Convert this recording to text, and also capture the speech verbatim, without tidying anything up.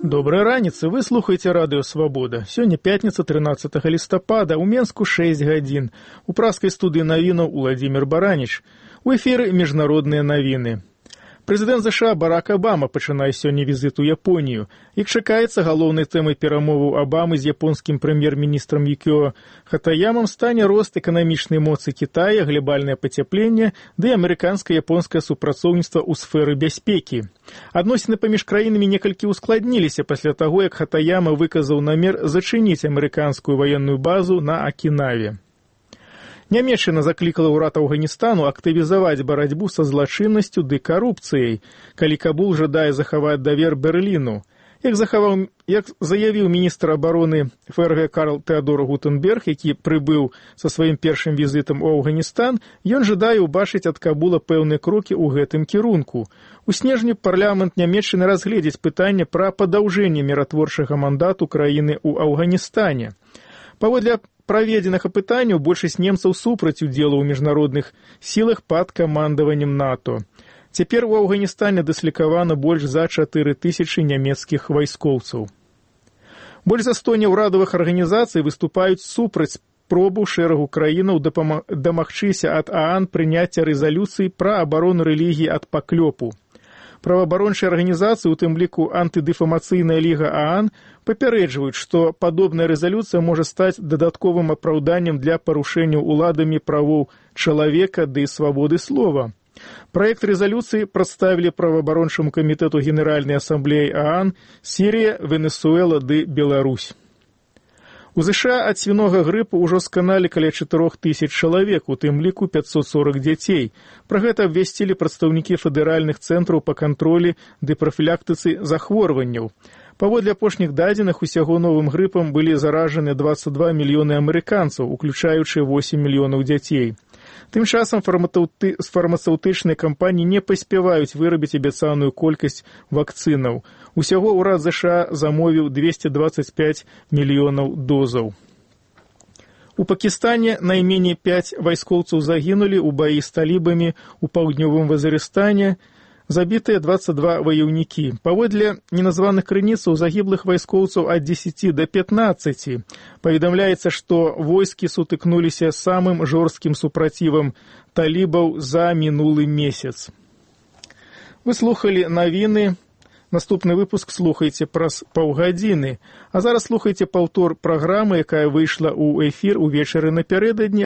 Доброй раніцы, вы слухаеце радыё «Свабода». Сёння пятніца, трынаццатага лістапада, у Менску шэсць гадзін. У праскай студыі навінаў Уладзімір Бараніч. У эфіры міжнародныя навіны. Прэзідэнт ЗША Барак Абама пачынае сёння візіт у Японію. Як чакаецца, галоўнай тэмай перамоваў Абамы з японскім прэм'ер-міністрам Юкіо Хатаямам стане рост эканамічнай моцы Кітая, глобальнае пацяпленне ды амерыканска-японскае супрацоўніцтва ў сферы бяспекі. Адносіны паміж краінамі некалькі ускладніліся пасля таго, як Хатаяма выказаў намер зачыніць амерыканскую ваенную базу на Акінаве. Нямецчына заклікала ўрад Афганістану актывізаваць барацьбу са злачыннасцю ды карупцыяй, калі Кабул жадае захаваць давер Берліну. Як, захаваў, як заявіў міністр абароны ФРГ Карл Тэадор Гутенберг, які прыбыў са сваім першым візітам у Афганістан, ён жадае ўбачыць ад Кабула пэўныя крокі ў гэтым кірунку. У снежні парламент Нямецчыны разгледзіць пытанне пра падаўжэнне міратворчага мандату краіны ў Афганістане. Паводле праведзеных апытанняў большасць немцаў супраць удзелу ў міжнародных сілах пад камандаваннем НАТО. Цяпер у Афганістане дыслікавана больш за чатыры тысячы нямецкіх вайскоўцаў. Больш за сто няўрадавых арганізацый выступаюць супраць спробу шэрагу краінаў дамагчыся ад ААН прыняцця рэзалюцыі пра абарону рэлігіі ад паклёпу. Праваабарончыя арганізацыі, у тым ліку антыдэфамацыйная ліга ААН, папярэджваюць, што падобная рэзалюцыя можа стаць дадатковым апраўданнем для парушэнняў уладамі правоў чалавека ды свабоды слова. Праект рэзалюцыі прадставілі праваабарончаму камітэту Генеральнай асамблеі ААН Сірія, Венесуэла ды Беларусь. У ЗША ад свінога грыпу ўжо сканалі каля чатырох тысяч чалавек, у тым ліку пятьсот сорок дзяцей. Пра гэта абвясцілі прадстаўнікі федэральных цэнтраў па кантролі ды прафілактыцы захворванняў. Паводле апошніх дадзеных, усяго новым грыпам былі заражаны дваццаць два мільёны амерыканцаў, уключаючы восем мільёнаў дзяцей. Тым часам фармацэўтычныя кампаніі не паспяваюць вырабіць абяцаную колькасць вакцынаў. Усяго ўрад ЗША замовіў двести двадцать пять мільёнаў дозаў. У Пакістане найменей пяць вайскоўцаў загінулі ў баі з талібамі ў паўднёвым Вазірыстане, забітыя дваццаць два ваяўнікі. Паводле неназваных крыніцаў загіблых вайскоўцаў ад дзесяці да пятнаццаці. Паведамляецца, што войскі сутыкнуліся з самым жорсткім супрацівам талібаў за мінулы месяц. Вы слухалі навіны. Наступны выпуск слухайце праз паўгадзіны. А зараз слухайце паўтор праграмы, якая выйшла ў эфір увечары напярэдадні.